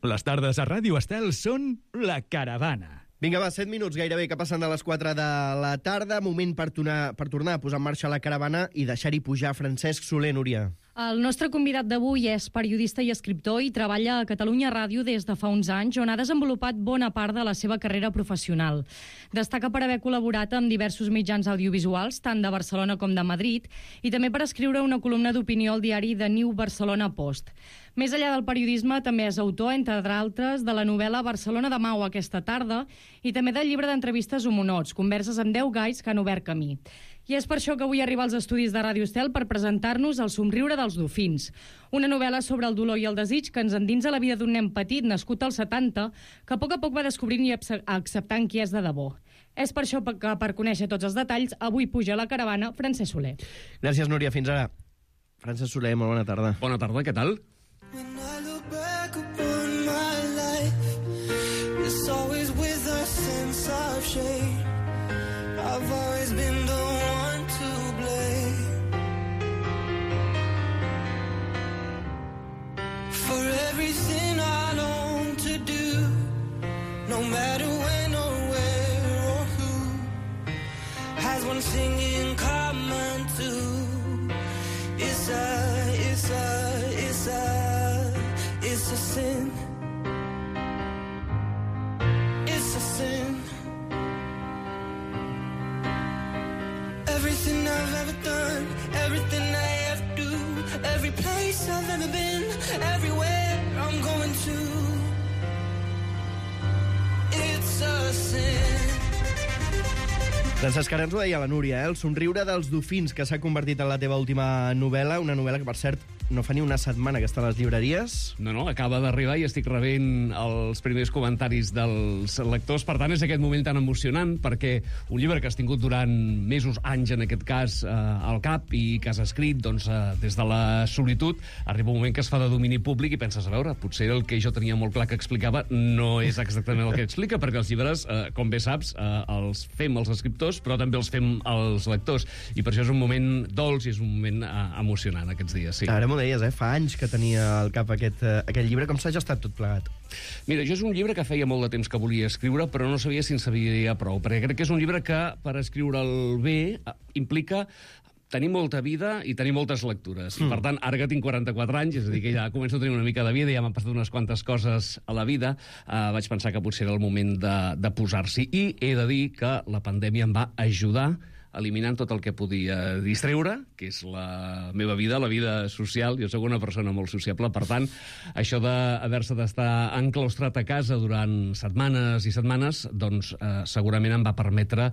Les tardes a Ràdio Estel són La Caravana. Vinga, va, 7 minuts gairebé que passen de les 4 de la tarda. Moment per tornar a posar en marxa La Caravana i deixar-hi pujar Francesc Soler, Núria. El nostre convidat d'avui és periodista i escriptor i treballa a Catalunya Ràdio des de fa uns anys, on ha desenvolupat bona part de la seva carrera professional. Destaca per haver col·laborat amb diversos mitjans audiovisuals, tant de Barcelona com de Madrid, i també per escriure una columna d'opinió al diari The New Barcelona Post. Més enllà del periodisme, també és autor, entre altres, de la novel·la Barcelona demà o aquesta tarda i també del llibre d'entrevistes Homonots, converses amb 10 gais que han obert camí. I és per això que avui arriba als estudis de Ràdio Estel per presentar-nos El somriure dels dofins, una novel·la sobre el dolor i el desig que ens endinsa la vida d'un nen petit nascut als 70 que a poc va descobrint i acceptant qui és de debò. És per això que, per conèixer tots els detalls, avui puja a La Caravana Francesc Soler. Gràcies, Núria. Fins ara. Francesc Soler, molt bona tarda. Bona tarda, què tal? When I look back upon my life, it's always with a sense of shame. I've always been the one to blame for everything I long to do, no matter when or where or who has one thing in common too. It's a sin. It's a sin. Everything I've ever done, everything I ever do, every place I've ever been, everywhere I'm going to, it's a sin. Francesc, ara ens ho deia la Núria, El somriure dels dofins, que s'ha convertit en la teva última novel·la, una novel·la que, per cert, no fa ni una setmana que està a les llibreries. No, acaba d'arribar i estic rebent els primers comentaris dels lectors. Per tant, és aquest moment tan emocionant, perquè un llibre que has tingut durant mesos, anys, en aquest cas, al cap, i que has escrit des de la solitud, arriba un moment que es fa de domini públic i penses, a veure, potser el que jo tenia molt clar que explicava no és exactament el que explica, perquè els llibres, com bé saps, els fem els escriptors, però també els fem els lectors. I per això és un moment dolç i és un moment emocionant aquests dies, sí. Ara m'ho deies, fa anys que tenia al cap aquest llibre. Com s'ha gestat tot plegat? Mira, jo és un llibre que feia molt de temps que volia escriure, però no sabia si en sabia prou, perquè crec que és un llibre que, per escriure'l bé, implica tenir molta vida i tenir moltes lectures. I, per tant, ara que tinc 44 anys, és a dir, que ja començo a tenir una mica de vida, ja m'han passat unes quantes coses a la vida, vaig pensar que potser era el moment de posar-s'hi. I he de dir que la pandèmia em va ajudar eliminant tot el que podia distreure, que és la meva vida, la vida social. Jo soc una persona molt sociable, per tant, això d'haver-se d'estar enclaustrat a casa durant setmanes i setmanes, doncs segurament em va permetre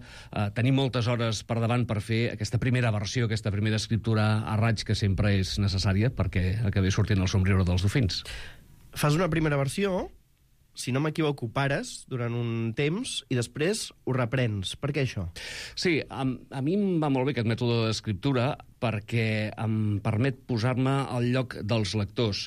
tenir moltes hores per davant per fer aquesta primera versió, aquesta primera escriptura a raig que sempre és necessària perquè acabés sortint El somriure dels dofins. Fas una primera versió, si no m'equivoco, pares durant un temps i després ho reprens. Per què això? Sí, a mi em va molt bé aquest mètode d'escriptura perquè em permet posar-me al lloc dels lectors.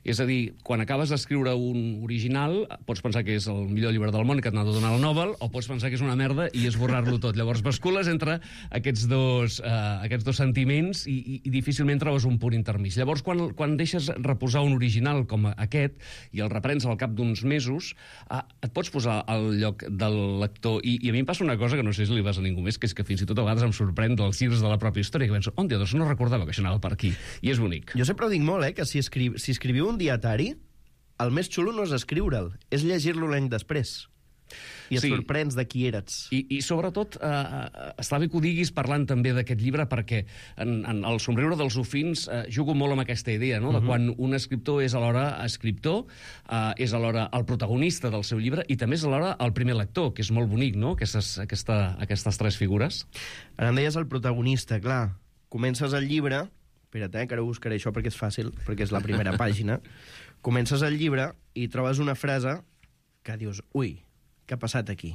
És a dir, quan acabes d'escriure un original, pots pensar que és el millor llibre del món que t'ha de donar el Nobel, o pots pensar que és una merda i esborrar-lo tot. Llavors bascules entre aquests dos sentiments i difícilment trobes un punt intermig. Llavors, quan deixes reposar un original com aquest i el reprens al cap d'uns mesos, et pots posar al lloc del lector. I a mi em passa una cosa que no sé si li vas a ningú més, que és que fins i tot a vegades em sorprèn dels llibres de la pròpia història, que penso, doncs no recordava que això anava per aquí. I és bonic. Jo sempre ho dic molt, que si escriviu un dietari, el més xulo no és escriure'l, és llegir-lo l'any després. I et sorprens de qui eres. I sobretot, està bé que ho diguis parlant també d'aquest llibre, perquè en El somriure dels dofins jugo molt amb aquesta idea, no? De quan un escriptor és alhora escriptor, és alhora el protagonista del seu llibre i també és alhora el primer lector, que és molt bonic, no? Aquestes tres figures. Ara em deies el protagonista, clar. Comences el llibre, espera't, que ara buscaré això perquè és fàcil, perquè és la primera pàgina. Comences el llibre i trobes una frase que dius, ui, què ha passat aquí?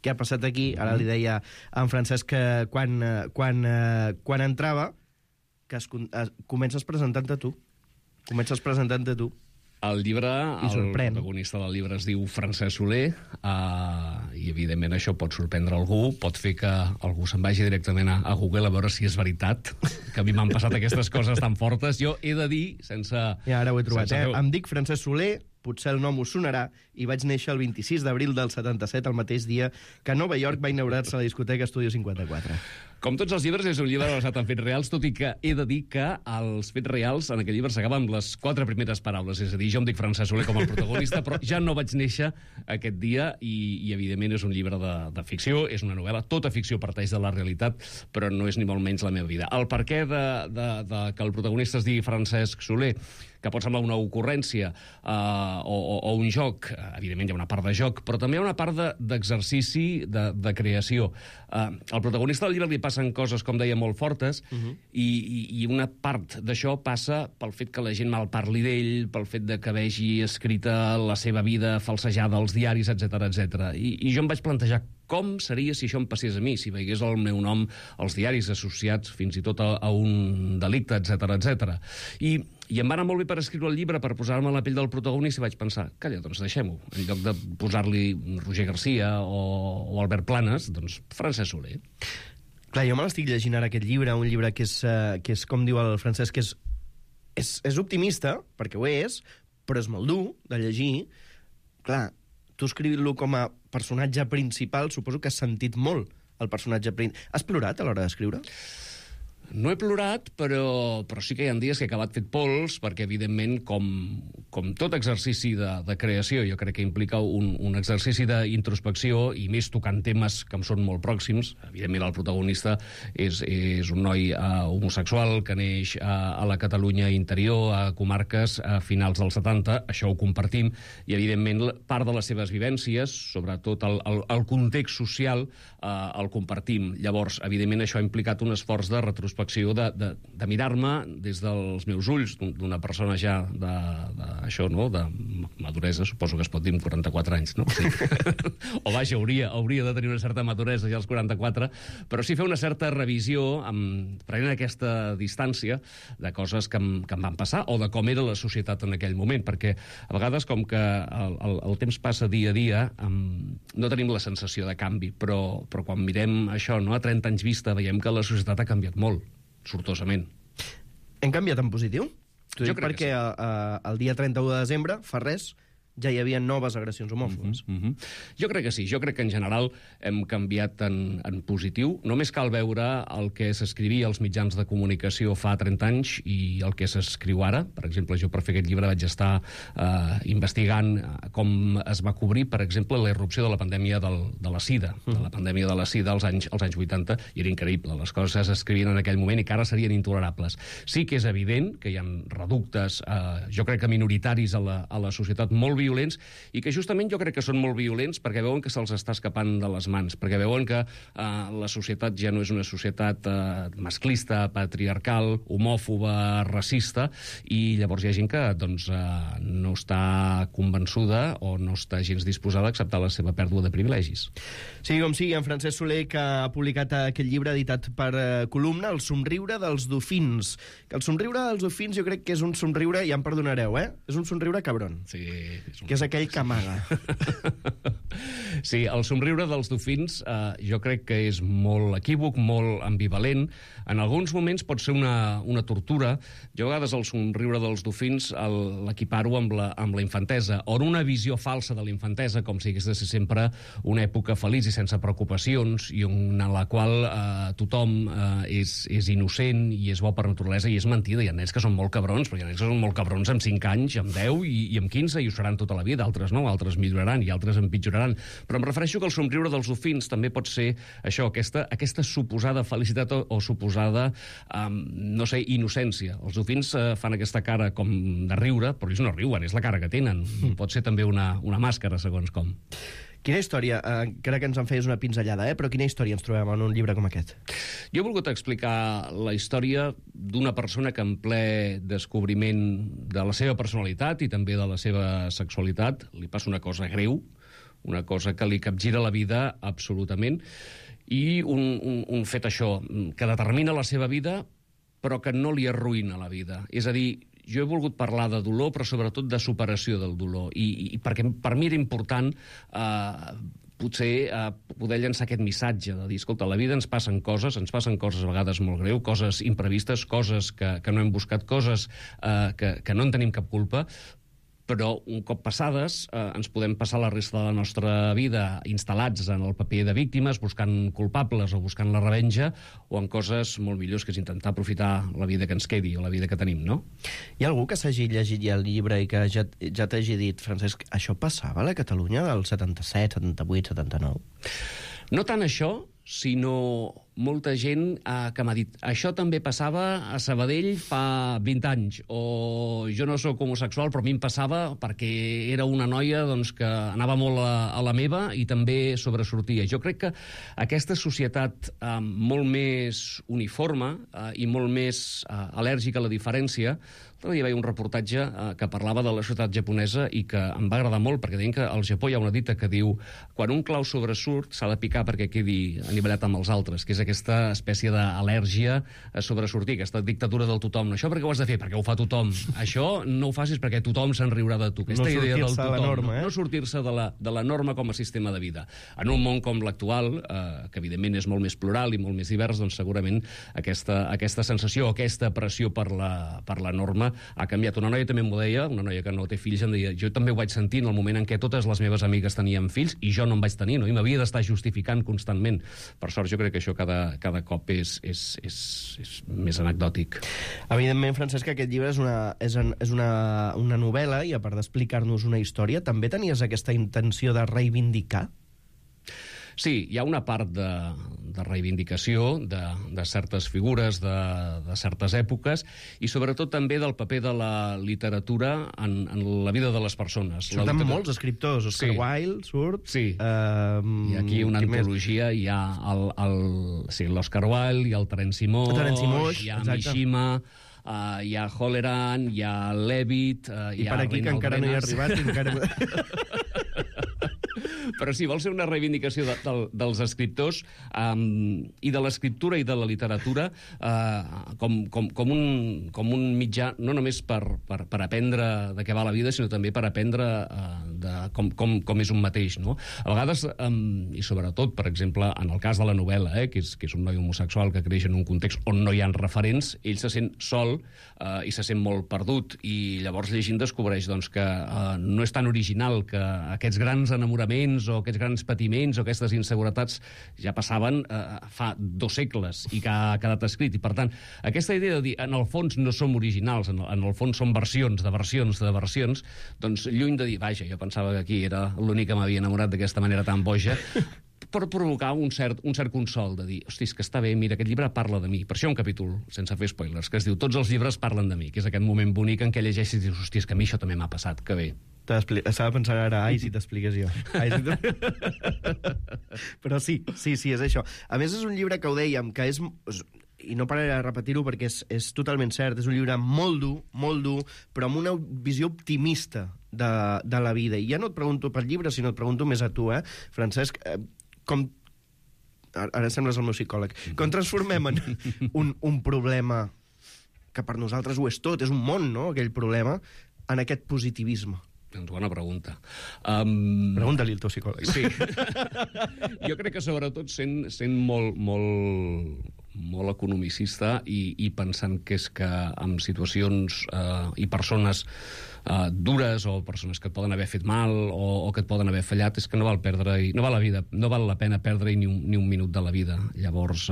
Què ha passat aquí? Ara li deia a en Francesc que quan entrava, que comences presentant-te tu. El llibre, el protagonista del llibre es diu Francesc Soler, i evidentment això pot sorprendre algú, pot fer que algú se'n vagi directament a Google a veure si és veritat, que a mi m'han passat aquestes coses tan fortes. Jo he de dir, sense... Ja, ara ho he trobat, Em dic Francesc Soler, potser el nom us sonarà, i vaig néixer el 26 d'abril del 77, el mateix dia que a Nova York va inaugurar-se la discoteca Estudio 54. Com tots els llibres, és un llibre basat en fets reals, tot i que he de dir que els fets reals en aquell llibre s'acaben amb les 4 primeres paraules. És a dir, jo em dic Francesc Soler com el protagonista, però ja no vaig néixer aquest dia i evidentment, és un llibre de ficció, és una novel·la. Tota ficció parteix de la realitat, però no és ni molt menys la meva vida. El perquè de que el protagonista es digui Francesc Soler, que pot semblar una ocurrència o un joc, evidentment hi ha una part de joc, però també hi ha una part d'exercici de creació. Al protagonista del llibre li passen coses, com deia, molt fortes, i una part d'això passa pel fet que la gent malparli d'ell, pel fet de que vegi escrita la seva vida falsejada als diaris, etc. I jo em vaig plantejar com seria si això em passés a mi, si veiés el meu nom als diaris associats fins i tot a un delicte, etc. I em va anar molt bé per escriure el llibre, per posar-me a la pell del protagonista, i vaig pensar, calla, doncs deixem-ho. En lloc de posar-li Roger Garcia o Albert Planes, doncs Francesc Soler. Clar, jo me l'estic llegint ara, aquest llibre, un llibre que és com diu el Francesc, que és optimista, perquè ho és, però és molt dur de llegir. Clar, tu escrivint-lo com a personatge principal, suposo que has sentit molt el personatge principal. Has plorat a l'hora d'escriure? No he plorat, però sí que hi ha dies que he acabat fet pols, perquè, evidentment, com tot exercici de creació, jo crec que implica un exercici d'introspecció, i més tocant temes que em són molt pròxims. Evidentment, el protagonista és un noi homosexual que neix a la Catalunya interior, a comarques a finals dels 70, això ho compartim, i, evidentment, part de les seves vivències, sobretot el context social, el compartim. Llavors, evidentment, això ha implicat un esforç de retrospecció, de mirar-me des dels meus ulls, d'una persona ja d'això, no?, de maduresa, suposo que es pot dir amb 44 anys, no? Sí. O vaja, hauria de tenir una certa maduresa ja als 44, però sí fer una certa revisió, prenent aquesta distància de coses que em van passar, o de com era la societat en aquell moment, perquè a vegades, com que el temps passa dia a dia, no tenim la sensació de canvi, però quan mirem això, no?, a 30 anys vista, veiem que la societat ha canviat molt, sortosament. Hem canviat en positiu? Jo crec perquè que sí. El dia 31 de desembre, fa res, ja hi havia noves agressions homòfobes. Jo crec que sí. Jo crec que en general hem canviat en positiu. Només cal veure el que s'escrivia als mitjans de comunicació fa 30 anys i el que s'escriu ara. Per exemple, jo per fer aquest llibre vaig estar investigant com es va cobrir, per exemple, la irrupció de la pandèmia de la sida, de la pandèmia de la sida als anys 80, i era increïble. Les coses s'escrivien en aquell moment i que ara serien intolerables. Sí que és evident que hi ha reductes, jo crec que minoritaris a la societat, molt violents, i que justament jo crec que són molt violents perquè veuen que se'ls està escapant de les mans, perquè veuen que la societat ja no és una societat masclista, patriarcal, homòfoba, racista, i llavors hi ha gent que no està convençuda o no està gens disposada a acceptar la seva pèrdua de privilegis. Sí, com sigui, en Francesc Soler, que ha publicat aquest llibre editat per Columna, El somriure dels dofins. Que el somriure dels dofins jo crec que és un somriure, ja em perdonareu, és un somriure cabron. Sí, que és aquell que amaga. Sí, el somriure dels dofins jo crec que és molt equívoc, molt ambivalent. En alguns moments pot ser una tortura. Jo a vegades el somriure dels dofins l'equiparo amb la infantesa, o en una visió falsa de la infantesa, com si hagués de ser sempre una època feliç i sense preocupacions, i en la qual tothom és innocent i és bo per naturalesa, i és mentida. Hi ha nens que són molt cabrons, però hi ha nens que són molt cabrons amb 5 anys, amb 10 i amb 15, i ho seran tota la vida. Altres no, altres milloraran i altres empitjoraran. Però em refereixo que el somriure dels dofins també pot ser això, aquesta suposada felicitat o suposada, no sé, innocència. Els dofins fan aquesta cara com de riure, però ells no riuen, és la cara que tenen. Pot ser també una màscara, segons com. Quina història, crec que ens en feies una pinzellada, però quina història ens trobem en un llibre com aquest? Jo he volgut explicar la història d'una persona que en ple descobriment de la seva personalitat i també de la seva sexualitat li passa una cosa greu, una cosa que li capgira la vida absolutament, i un fet això, que determina la seva vida però que no li arruïna la vida. És a dir, jo he volgut parlar de dolor, però sobretot de superació del dolor, i perquè per mi era important potser poder llançar aquest missatge de dir, escolta, a la vida ens passen coses a vegades molt greu, coses imprevistes, coses que no hem buscat, coses que no en tenim cap culpa, però un cop passades ens podem passar la resta de la nostra vida instal·lats en el paper de víctimes, buscant culpables o buscant la revenja, o en coses molt millors, que és intentar aprofitar la vida que ens quedi o la vida que tenim, no? Hi ha algú que s'hagi llegit ja el llibre i que ja t'hagi dit, Francesc, això passava a la Catalunya del 77, 78, 79? No tant això, sinó molta gent que m'ha dit això també passava a Sabadell fa 20 anys, o jo no sóc homosexual, però a mi em passava perquè era una noia doncs, que anava molt a la meva i també sobresortia. Jo crec que aquesta societat molt més uniforme i molt més al·lèrgica a la diferència. L'altre dia veia un reportatge que parlava de la societat japonesa i que em va agradar molt, perquè deien que al Japó hi ha una dita que diu quan un clau sobresurt s'ha de picar perquè quedi anivellat amb els altres, que és aquesta espècie d'al·lèrgia a sobresortir, aquesta dictadura del tothom. Això perquè ho has de fer? Perquè ho fa tothom. Això no ho facis perquè tothom se'n riurà de tu. Aquesta idea del tothom. Norma, no sortir-se de la norma com a sistema de vida. En un món com l'actual, que evidentment és molt més plural i molt més divers, doncs segurament aquesta sensació, aquesta pressió per la norma ha canviat. Una noia també m'ho deia, una noia que no té fills, em deia, jo també ho vaig sentir en el moment en què totes les meves amigues tenien fills i jo no en vaig tenir, no? I m'havia d'estar justificant constantment. Per sort, jo crec que això cada cop és més anecdòtic. Evidentment, Francesc, aquest llibre és una novel·la i a part d'explicar-nos una història, també tenies aquesta intenció de reivindicar? Sí, hi ha una part de reivindicació de certes figures, de certes èpoques, i sobretot també del paper de la literatura en la vida de les persones. Surten molts escriptors. Oscar Wilde surt. Sí. Hi ha aquí una antologia, hi ha l'Oscar Wilde, hi ha el Terenci Moix, hi ha Mishima, hi ha Holleran, hi ha Levitt, i per aquí, que encara no hi ha arribat, encara... Però sí, vol ser una reivindicació dels escriptors i de l'escriptura i de la literatura com un mitjà, no només per aprendre de què va la vida, sinó també per aprendre com és un mateix, no? A vegades, i sobretot, per exemple, en el cas de la novel·la, que és un noi homosexual que creix en un context on no hi ha referents, ell se sent sol i se sent molt perdut, i llavors llegint descobreix doncs, que no és tan original, que aquests grans enamoraments o aquests grans patiments o aquestes inseguretats ja passaven fa 2 segles i que ha quedat escrit. I, per tant, aquesta idea de dir, en el fons no som originals, en el fons som versions de versions de versions, doncs lluny de dir, vaja, jo pensava que aquí era l'únic que m'havia enamorat d'aquesta manera tan boja, per provocar un cert consol, de dir, hosti, és que està bé, mira, aquest llibre parla de mi. Per això un capítol, sense fer spoilers, que es diu Tots els llibres parlen de mi, que és aquest moment bonic en què llegeixes i dius, hosti, és que a mi això també m'ha passat, que bé. Estava pensant ara, ai, si t'expliques jo. Però sí, és això. A més, és un llibre que ho dèiem, que és... i no pararé de repetir-ho perquè és totalment cert, és un llibre molt dur, però amb una visió optimista de la vida. I ja no et pregunto pel llibre, sinó et pregunto més a tu, Francesc, com... Ara sembles el meu psicòleg. Com transformem en un problema que per nosaltres ho és tot, és un món, no?, aquell problema, en aquest positivisme? Doncs bona pregunta. Pregunta-li al teu psicòleg. Sí. Jo crec que sobretot sent molt economicista i pensant que és que en situacions i persones dures o persones que et poden haver fet mal o que et poden haver fallat, és que no val la pena perdre-hi ni un minut de la vida. Llavors,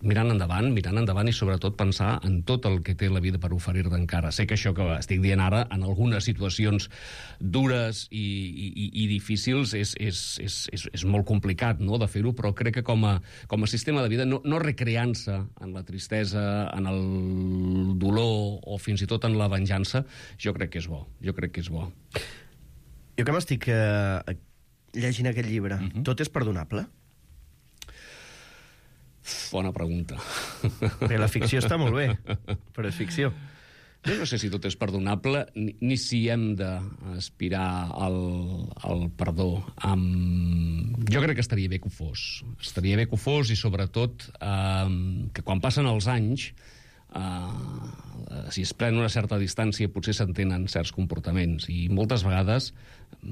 mirant endavant i sobretot pensar en tot el que té la vida per oferir-te encara. Sé que això que estic dient ara, en algunes situacions dures i difícils, és molt complicat, no?, de fer-ho, però crec que com a sistema de vida, no recreant-se en la tristesa, en el dolor o fins i tot en la venjança, jo crec que és bo. Jo que m'estic llegint aquest llibre, tot és perdonable? Bona pregunta. Perquè la ficció està molt bé, però és ficció. Jo no sé si tot és perdonable, ni si hem d'aspirar al perdó. Jo crec que estaria bé que ho fos. Estaria bé que ho fos i, sobretot, que quan passen els anys, si es pren una certa distància, potser s'entenen certs comportaments. I moltes vegades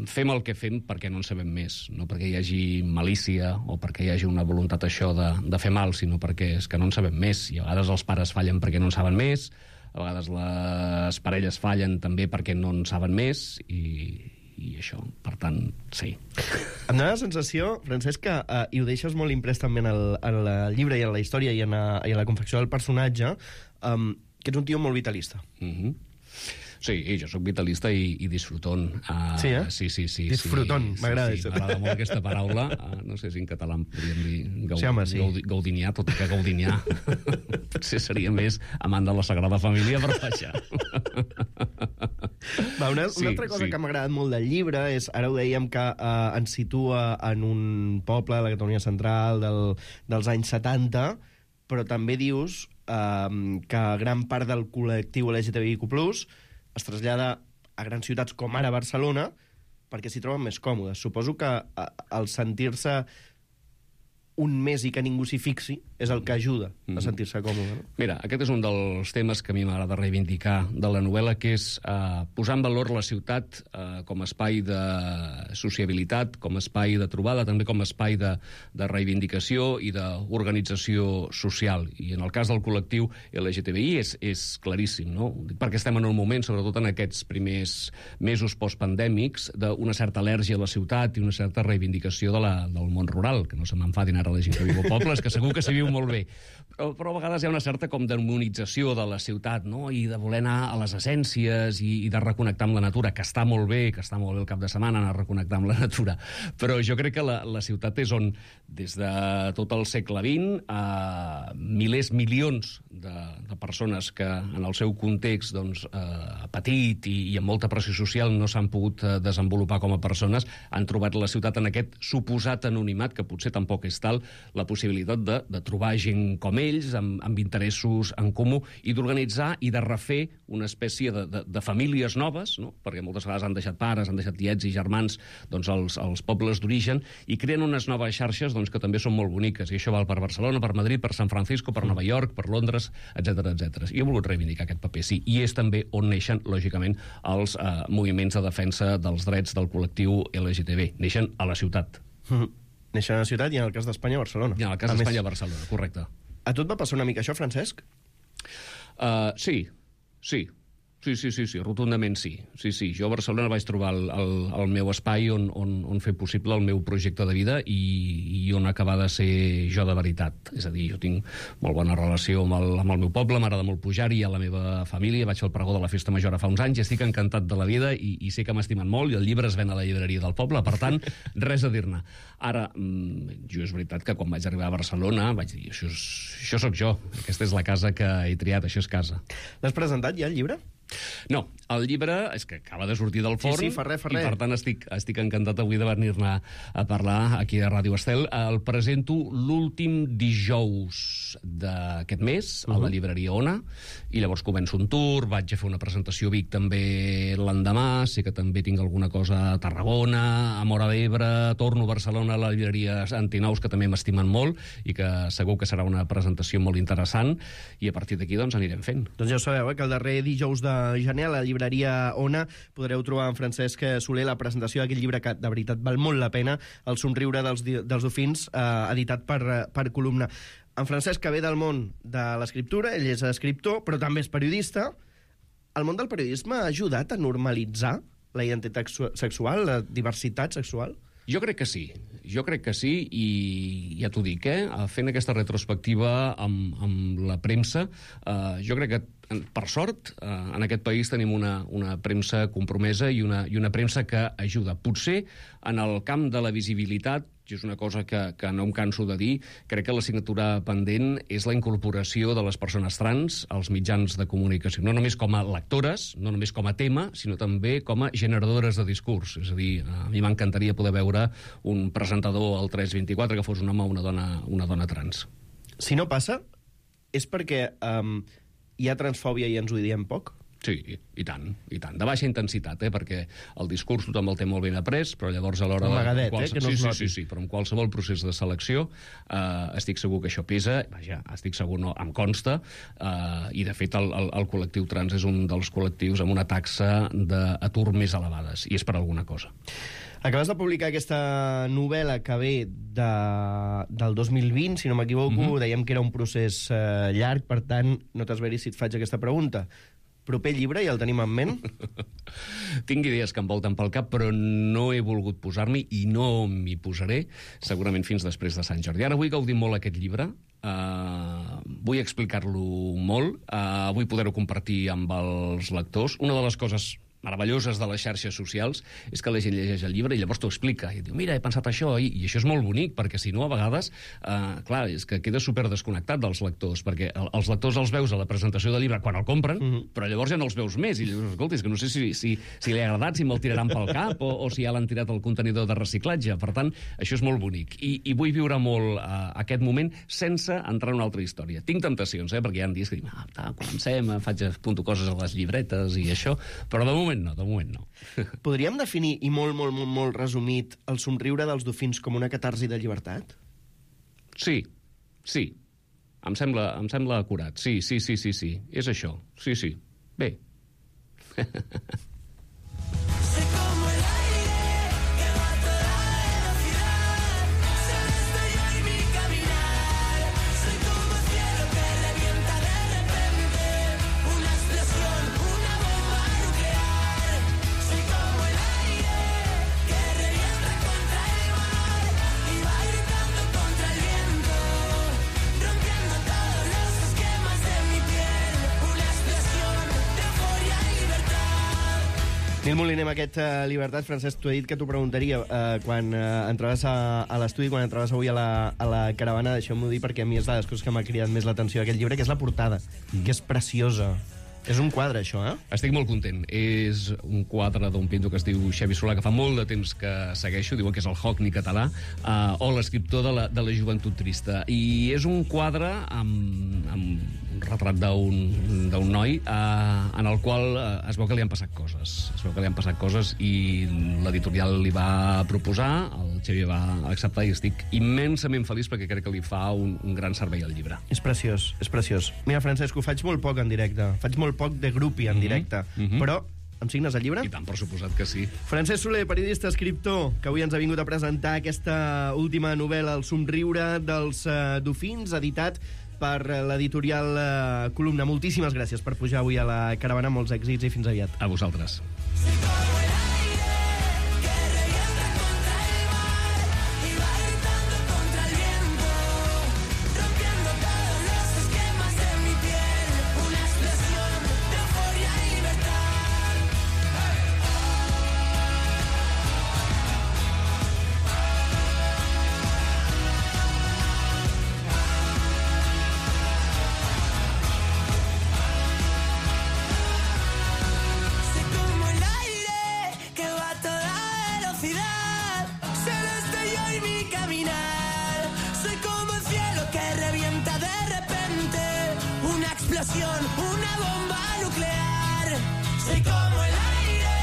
fem el que fem perquè no en sabem més, no perquè hi hagi malícia o perquè hi hagi una voluntat això de fer mal, sinó perquè és que no en sabem més. I a vegades els pares fallen perquè no en saben més, a vegades les parelles fallen també perquè no en saben més i això, per tant, sí. Em dóna la sensació, Francesc, que, i ho deixes molt imprès també en el llibre i en la història i en la confecció del personatge, que ets un tio molt vitalista. Sí, jo sóc vitalista i disfrutón. Sí, eh? Sí. Disfrutón, m'agrada Sí, això. m'agrada molt aquesta paraula. No sé si en català en podríem dir Sí, home, sí. gaudinià, tot i que gaudinià potser seria més amant de la Sagrada Família, però vaja. Va, una altra cosa que m'ha agradat molt del llibre és, ara ho dèiem, que ens situa en un poble de la Catalunya central dels anys 70, però també dius que gran part del col·lectiu LGTBIQ+, es trasllada a grans ciutats com ara Barcelona perquè s'hi troben més còmodes. Suposo que el sentir-se un més i que ningú s'hi fixi és el que ajuda a sentir-se còmode. No? Mira, aquest és un dels temes que a mi m'agrada reivindicar de la novel·la, que és posar en valor la ciutat com a espai de sociabilitat, com a espai de trobada, també com a espai de reivindicació i d'organització social. I en el cas del col·lectiu LGTBI és claríssim, no? Perquè estem en un moment, sobretot en aquests primers mesos postpandèmics, d'una certa al·lèrgia a la ciutat i una certa reivindicació del món rural, que no se m'enfadin ara la gent que viu a pobles, que segur que s'hi viu molt bé. Però a vegades hi ha una certa com demonització de la ciutat, no? I de voler anar a les essències i de reconnectar amb la natura, que està molt bé el cap de setmana anar a reconnectar amb la natura. Però jo crec que la ciutat és on, des de tot el segle XX, milers, milions de persones que en el seu context petit i amb molta pressió social no s'han pogut desenvolupar com a persones, han trobat la ciutat en aquest suposat anonimat, que potser tampoc és tal, la possibilitat de trobar gent com ells, amb interessos en comú, i d'organitzar i de refer una espècie de famílies noves, no? Perquè moltes vegades han deixat pares, han deixat tiets i germans als pobles d'origen, i creen unes noves xarxes que també són molt boniques, i això val per Barcelona, per Madrid, per San Francisco, per Nova York, per Londres, etc. I he volgut reivindicar aquest paper, sí, i és també on neixen, lògicament, els moviments de defensa dels drets del col·lectiu LGTB. Neixen a la ciutat. Neixen a la ciutat i en el cas d'Espanya a Barcelona. I en el cas d'Espanya a Barcelona, correcte. A tu et va passar una mica això, Francesc? Sí, rotundament sí. Sí. Jo a Barcelona vaig trobar el meu espai on fer possible el meu projecte de vida i on acabar de ser jo de veritat. És a dir, jo tinc molt bona relació amb el meu poble, m'agrada molt pujar-hi, a la meva família, vaig al pregó de la Festa Major fa uns anys, i estic encantat de la vida i sé que m'estimen molt, i el llibre es ven a la llibreria del poble, per tant, res a dir-ne. Ara, jo és veritat que quan vaig arribar a Barcelona vaig dir, això sóc jo, aquesta és la casa que he triat, això és casa. L'has presentat ja, el llibre? No, el llibre és que acaba de sortir del forn, sí, fa res. I per tant estic encantat avui de venir-ne a parlar aquí a Ràdio Estel. El presento l'últim dijous d'aquest mes a la llibreria Ona, i llavors començo un tour, vaig a fer una presentació a Vic també l'endemà, sé que també tinc alguna cosa a Tarragona, a Móra d'Ebre, torno a Barcelona a la llibreria Antinous, que també m'estimen molt, i que segur que serà una presentació molt interessant, i a partir d'aquí anirem fent. Doncs ja ho sabeu, que el darrer dijous de gener a la llibreria Ona podreu trobar en Francesc Soler la presentació d'aquest llibre que de veritat val molt la pena, El somriure dels dofins, editat per Columna. En Francesc, que ve del món de l'escriptura, ell és escriptor, però també és periodista. El món del periodisme ha ajudat a normalitzar la identitat sexual, la diversitat sexual? Jo crec que sí, i ja t'ho dic, fent aquesta retrospectiva amb la premsa, jo crec que, per sort, en aquest país tenim una premsa compromesa i una premsa que ajuda. Potser en el camp de la visibilitat, i és una cosa que no em canso de dir, crec que l'assignatura pendent és la incorporació de les persones trans als mitjans de comunicació, no només com a lectores, no només com a tema, sinó també com a generadores de discurs. És a dir, a mi m'encantaria poder veure un presentador al 324 que fos un home o una dona trans. Si no passa, és perquè hi ha transfòbia i ens ho diem poc? Sí, i tant. De baixa intensitat, perquè el discurs tothom el té molt ben après, però llavors a l'hora... Amagadet, que no es noti. Sí, però en qualsevol procés de selecció estic segur que això pesa, vaja, estic segur, no, em consta, i de fet el col·lectiu trans és un dels col·lectius amb una taxa d'atur més elevades, i és per alguna cosa. Acabes de publicar aquesta novel·la que ve del 2020, si no m'equivoco, dèiem que era un procés llarg, per tant, no t'esveris si et faig aquesta pregunta. Proper llibre, ja el tenim en ment? Tinc idees que em volten pel cap, però no he volgut posar-m'hi i no m'hi posaré, segurament fins després de Sant Jordi. Ara vull gaudir molt aquest llibre, vull explicar-lo molt, vull poder-ho compartir amb els lectors. Una de les coses meravelloses de les xarxes socials és que la gent llegeix el llibre i llavors t'ho explica i diu, mira, he pensat això, i això és molt bonic, perquè si no, a vegades, clar, és que queda super desconnectat dels lectors, perquè els lectors els veus a la presentació del llibre quan el compren, però llavors ja no els veus més, i llavors, escolta, és que no sé si li ha agradat, si me'l tiraran pel cap, o si ja l'han tirat al contenidor de reciclatge. Per tant, això és molt bonic, i vull viure molt aquest moment sense entrar en una altra història. Tinc temptacions, perquè hi ha dies que dic, comencem, apunto coses a les llibretes i això, però de moment no. Podríem definir, i molt resumit, el somriure dels dofins com una catarsi de llibertat? Sí. Em sembla acurat. Sí. És això. Sí. Bé. Nil Moliner, amb aquest Llibertat, Francesc, t'ho he dit que t'ho preguntaria quan entraves a l'estudi, quan entraves avui a la caravana, deixeu-m'ho dir perquè a mi és de les coses que m'ha cridat més l'atenció d'aquest llibre, que és la portada, que és preciosa. És un quadre, això, Estic molt content. És un quadre d'un pintor que es diu Xavi Solà, que fa molt de temps que segueixo, diuen que és el Hockney català, o l'escriptor de la joventut trista. I és un quadre amb un retrat d'un noi en el qual es veu que li han passat coses. I l'editorial li va proposar, el Xavi va acceptar, i estic immensament feliç perquè crec que li fa un gran servei al llibre. És preciós. Mira, Francesc, ho faig molt poc en directe. Faig molt poc de grupi en directe. Però em signes el llibre? I tant, per suposat que sí. Francesc Soler, periodista, escriptor, que avui ens ha vingut a presentar aquesta última novel·la, El somriure dels dofins, editat per l'editorial Columna. Moltíssimes gràcies per pujar avui a la caravana. Molts èxits i fins aviat. A vosaltres. Una bomba nuclear. Soy como el aire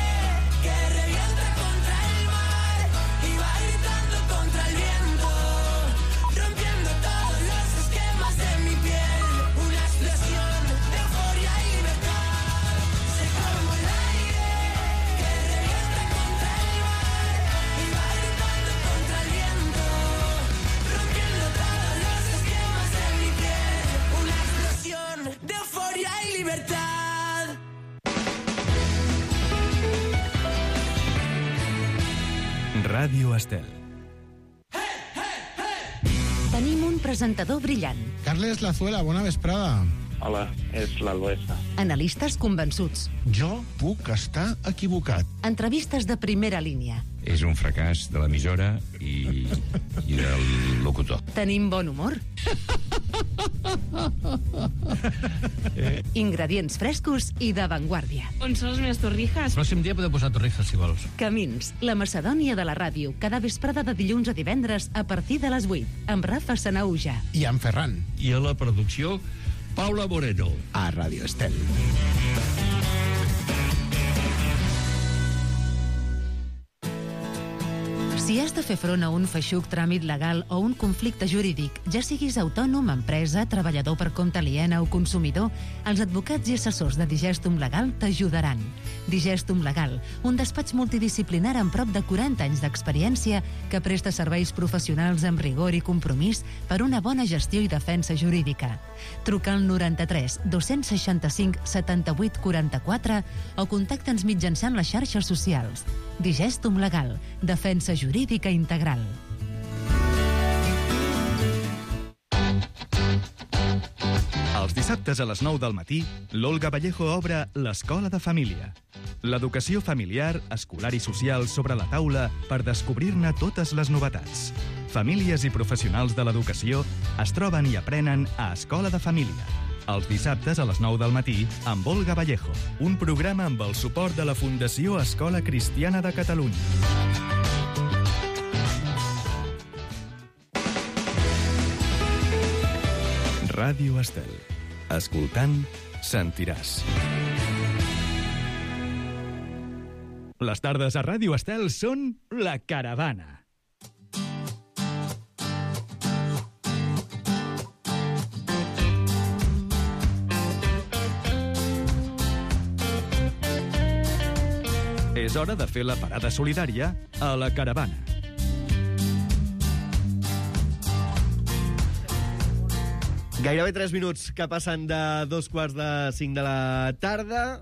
que revienta contra el mar y va gritando contra el viento, rompiendo todos los esquemas de mi piel. Una explosión de euforia y libertad. Soy como el aire que revienta contra el mar y va gritando contra el viento, rompiendo todos los esquemas de mi piel. Una explosión de euforia y libertad. Ràdio Estel. Tenim un presentador brillant. Carles Lazuela, bona vesprada. Hola, és l'Albesa. Analistes convençuts. Jo puc estar equivocat. Entrevistes de primera línia. És un fracàs de l'emissora i del locutor. Tenim bon humor. Ingredients frescos i d'avantguàrdia. On són les meves torrijas? Pròxim dia podeu posar torrijas, si vols. Camins, la Macedònia de la ràdio, cada vesprada de dilluns a divendres a partir de les 8, amb Rafa Sanauja. I en Ferran. I a la producció, Paula Moreno. A Ràdio Estel. Si has de fer front a un feixuc tràmit legal o un conflicte jurídic, ja siguis autònom, empresa, treballador per compte aliena o consumidor, els advocats i assessors de Digestum Legal t'ajudaran. Digestum Legal, un despatx multidisciplinar amb prop de 40 anys d'experiència que presta serveis professionals amb rigor i compromís per una bona gestió i defensa jurídica. Truca al 93 265 78 44 o contacta'ns mitjançant les xarxes socials. Digestum Legal, defensa jurídica integral. Els dissabtes a les 9 del matí, l'Olga Vallejo obre l'Escola de Família. L'educació familiar, escolar i social sobre la taula per descobrir-ne totes les novetats. Famílies i professionals de l'educació es troben i aprenen a Escola de Família. Els dissabtes a les 9 del matí amb Olga Vallejo, un programa amb el suport de la Fundació Escola Cristiana de Catalunya. Ràdio Estel. Escoltant, sentiràs. Les tardes a Ràdio Estel són La Caravana. És hora de fer la parada solidària a La Caravana. Gairebé 3 minuts que passen de 2:45 de la tarda.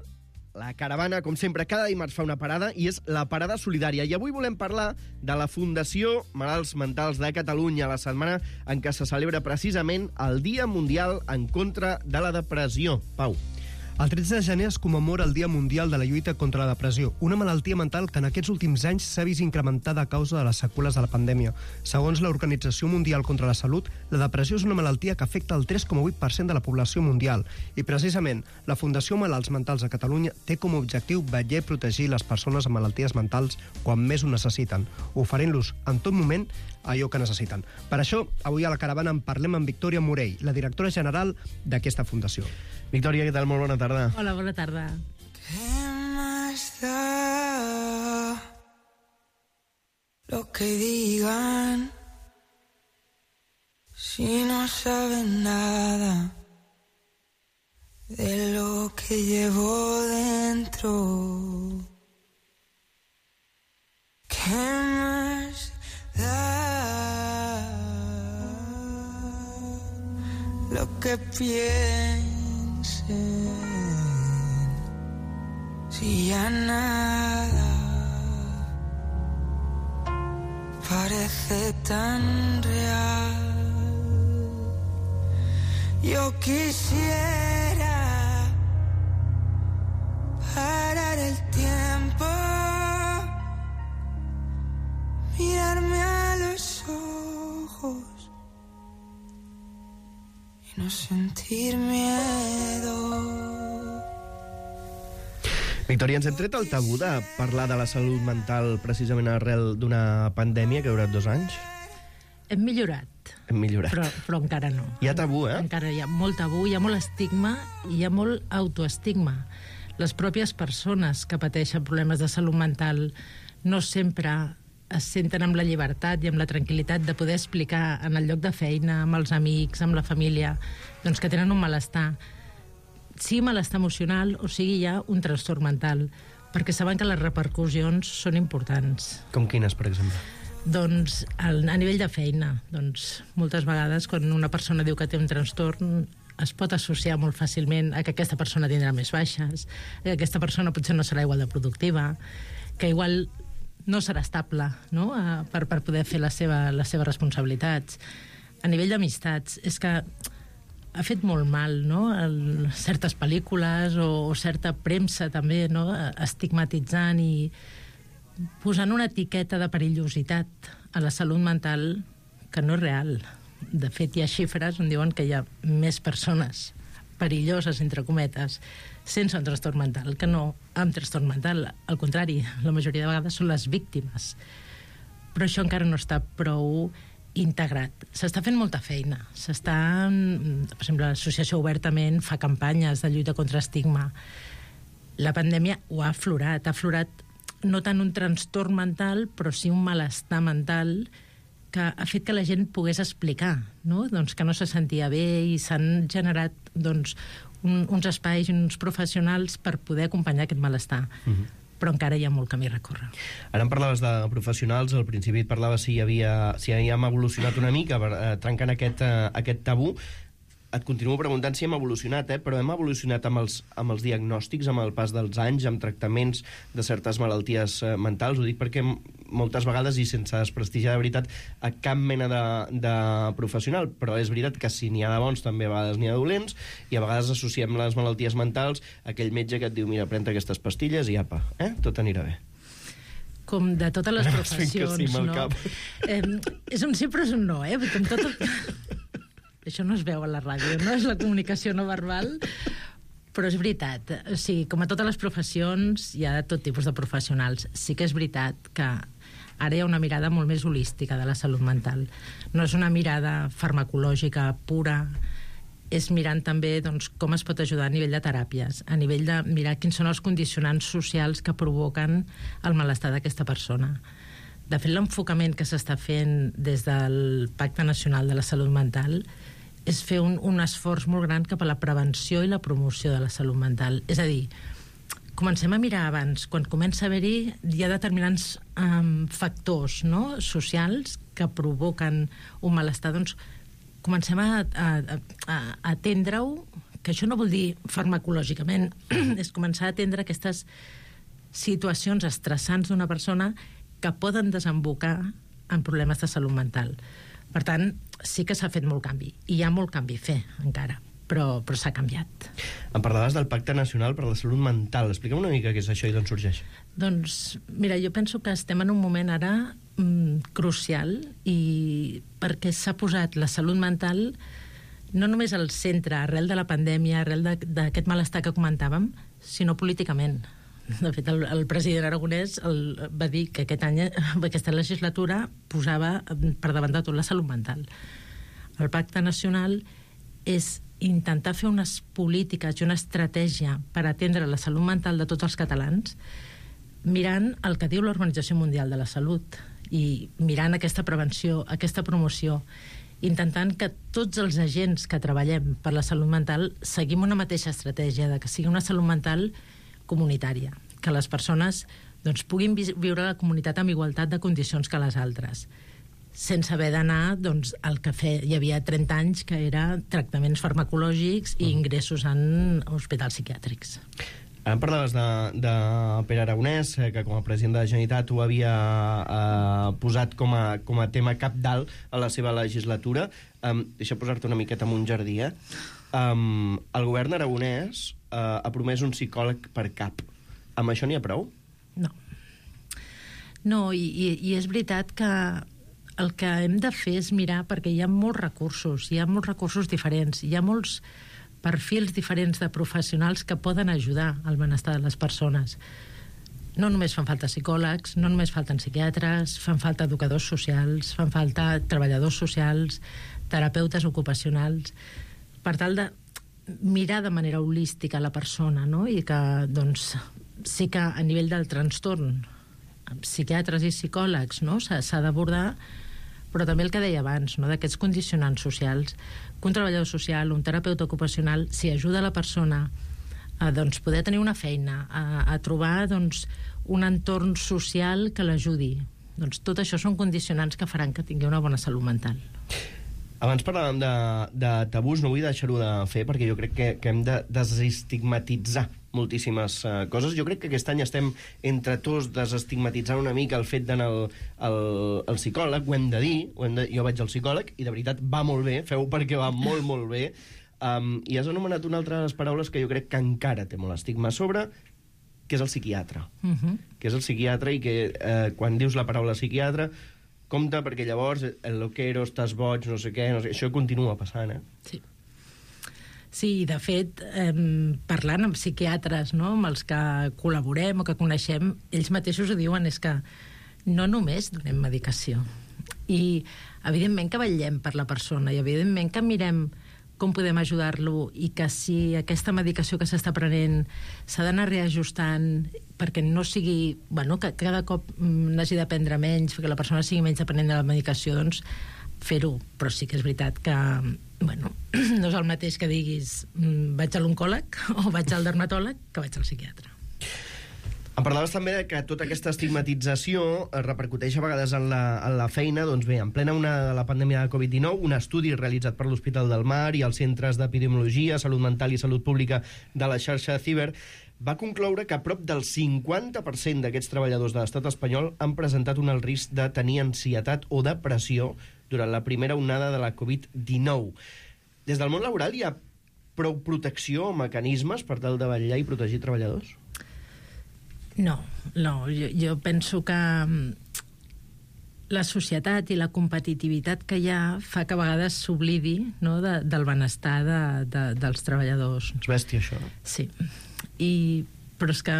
La Caravana, com sempre, cada dimarts fa una parada i és la parada solidària. I avui volem parlar de la Fundació Malalts Mentals de Catalunya, la setmana en què se celebra precisament el Dia Mundial en contra de la Depressió. Pau. El 13 de gener es commemora el Dia Mundial de la Lluita contra la Depressió, una malaltia mental que en aquests últims anys s'ha vist incrementada a causa de les seqüeles de la pandèmia. Segons l'Organització Mundial contra la Salut, la depressió és una malaltia que afecta el 3,8% de la població mundial i precisament la Fundació Malalts Mentals de Catalunya té com a objectiu vetllar i protegir les persones amb malalties mentals quan més ho necessiten, oferint-los en tot moment allò que necessiten. Per això, avui a La Caravana en parlem amb Victòria Morell, la directora general d'aquesta fundació. Victòria, què tal? Molt bona tarda. Hola, bona tarda. ¿Qué más da lo que digan si no saben nada de lo que llevo dentro? ¿Qué más da lo que piensen si ya nada parece tan real? Yo quisiera parar el tiempo, mirarme a los ojos y no sentir miedo. Victòria, ens hem tret el tabú de parlar de la salut mental precisament arrel d'una pandèmia que ha durat 2 anys? Hem millorat. Hem millorat. Però encara no. Hi ha tabú, eh? Encara hi ha molt tabú, hi ha molt estigma i hi ha molt autoestigma. Les pròpies persones que pateixen problemes de salut mental no sempre es senten amb la llibertat i amb la tranquil·litat de poder explicar en el lloc de feina, amb els amics, amb la família, doncs que tenen un malestar. Sigui malestar emocional o sigui ja un trastorn mental, perquè saben que les repercussions són importants. Com quines, per exemple? Doncs a nivell de feina, doncs moltes vegades quan una persona diu que té un trastorn es pot associar molt fàcilment a que aquesta persona tindrà més baixes, que aquesta persona potser no serà igual de productiva, que igual no serà estable, no? per poder fer les seves responsabilitats. A nivell d'amistats, és que ha fet molt mal, no? Certes pel·lícules o certa premsa també, no? Estigmatitzant i posant una etiqueta de perillositat a la salut mental que no és real. De fet, hi ha xifres on diuen que hi ha més persones perilloses, entre cometes, sense un trastorn mental que no amb trastorn mental. Al contrari, la majoria de vegades són les víctimes. Però això encara no està prou integrat. S'està fent molta feina. Per exemple, l'associació Obertament fa campanyes de lluita contra estigma. La pandèmia ho ha aflorat no tant un trastorn mental, però sí un malestar mental que ha fet que la gent pogués explicar, no? Doncs que no se sentia bé i s'han generat doncs, uns espais i uns professionals per poder acompanyar aquest malestar. Però encara hi ha molt camí a recórrer. Ara em parlaves de professionals, al principi et parlava si havíem evolucionat una mica trencant aquest tabú. Et continuo preguntant si hem evolucionat, però hem evolucionat amb els diagnòstics, amb el pas dels anys, amb tractaments de certes malalties mentals. Ho dic perquè moltes vegades, i sense desprestigiar de veritat a cap mena de professional, però és veritat que si n'hi ha de bons també a vegades n'hi ha de dolents, i a vegades associem les malalties mentals a aquell metge que et diu, mira, pren aquestes pastilles i apa, tot anirà bé. Com de totes les professions, no? És un sí però és un no, com tot el... Això no es veu a la ràdio, no és la comunicació no verbal, però és veritat. O sigui, com a totes les professions, hi ha tot tipus de professionals. Sí que és veritat que ara hi ha una mirada molt més holística de la salut mental. No és una mirada farmacològica pura, és mirant també doncs, com es pot ajudar a nivell de teràpies, a nivell de mirar quins són els condicionants socials que provoquen el malestar d'aquesta persona. De fet, l'enfocament que s'està fent des del Pacte Nacional de la Salut Mental és fer un esforç molt gran cap a la prevenció i la promoció de la salut mental. És a dir, comencem a mirar abans. Quan comença a haver-hi, hi ha determinants factors socials que provoquen un malestar. Doncs comencem a atendre-ho, que això no vol dir farmacològicament, és començar a atendre aquestes situacions estressants d'una persona que poden desembocar en problemes de salut mental. Per tant, sí que s'ha fet molt canvi, i hi ha molt canvi a fer encara, però s'ha canviat. Em parlaves del Pacte Nacional per la Salut Mental. Explica'm una mica què és això i d'on sorgeix. Doncs, mira, jo penso que estem en un moment ara crucial, i perquè s'ha posat la salut mental no només al centre, arrel de la pandèmia, arrel d'aquest malestar que comentàvem, sinó políticament. De fet, el president aragonès va dir que aquest any, aquesta legislatura, posava per davant de tot la salut mental. El Pacte Nacional és intentar fer unes polítiques i una estratègia per atendre la salut mental de tots els catalans, mirant el que diu l'Organització Mundial de la Salut i mirant aquesta prevenció, aquesta promoció, intentant que tots els agents que treballem per la salut mental seguim una mateixa estratègia, de que sigui una salut mental comunitària, que les persones doncs, puguin viure a la comunitat amb igualtat de condicions que les altres, sense haver d'anar doncs, al que hi havia 30 anys, que era tractaments farmacològics i ingressos en hospitals psiquiàtrics. Ara em parlaves de Pere Aragonès, que com a president de la Generalitat ho havia posat com a tema cabdal a la seva legislatura. Deixa posar-te una miqueta en un jardí, El govern aragonès ha promès un psicòleg per cap. Amb això n'hi ha prou? No. No, i és veritat que el que hem de fer és mirar, perquè hi ha molts recursos diferents, hi ha molts perfils diferents de professionals que poden ajudar al benestar de les persones. No només fan falta psicòlegs, no només falten psiquiatres, fan falta educadors socials, fan falta treballadors socials, terapeutes ocupacionals, per tal de mirar de manera holística la persona, no? I que, doncs, sí que a nivell del trastorn, psiquiatres i psicòlegs, no? S'ha d'abordar, però també el que deia abans, no? D'aquests condicionants socials, que un treballador social, un terapeuta ocupacional, si ajuda la persona a doncs, poder tenir una feina, a trobar doncs, un entorn social que l'ajudi. Doncs tot això són condicionants que faran que tingui una bona salut mental. Abans parlàvem de tabús, no vull deixar-ho de fer, perquè jo crec que hem de desestigmatitzar moltíssimes coses. Jo crec que aquest any estem entre tots desestigmatitzant una mica el fet d'anar al psicòleg, ho hem de dir, jo vaig al psicòleg i de veritat va molt bé, feu perquè va molt, molt bé. I has anomenat una altra de les paraules que jo crec que encara té molt estigma a sobre, que és el psiquiatre. Que és el psiquiatre i que quan dius la paraula psiquiatre, compte, perquè llavors el loquero, estàs boig, no sé què, això continua passant, Sí. Sí, de fet, parlant amb psiquiatres, no?, amb els que col·laborem o que coneixem, ells mateixos ho diuen, és que no només donem medicació. I, evidentment, que vetllem per la persona i, evidentment, que mirem com podem ajudar-lo i que si aquesta medicació que s'està prenent s'ha d'anar reajustant, perquè no sigui... Bueno, que cada cop n'hagi de prendre menys, que la persona sigui menys dependent de la medicació, doncs fer-ho. Però sí que és veritat que, bueno, no és el mateix que diguis vaig a l'oncòleg o vaig al dermatòleg que vaig al psiquiatre. Em parlaves també que tota aquesta estigmatització es repercuteix a vegades en la feina. Doncs bé, en plena onada de la pandèmia de Covid-19, un estudi realitzat per l'Hospital del Mar i els centres d'epidemiologia, salut mental i salut pública de la xarxa Ciber va concloure que prop del 50% d'aquests treballadors de l'estat espanyol han presentat un alt risc de tenir ansietat o depressió durant la primera onada de la Covid-19. Des del món laboral hi ha prou protecció o mecanismes per tal de vetllar i protegir treballadors? No. Jo penso que la societat i la competitivitat que hi ha fa que a vegades s'oblidi, no, del benestar dels treballadors. És bèstia, això. Sí. Però és que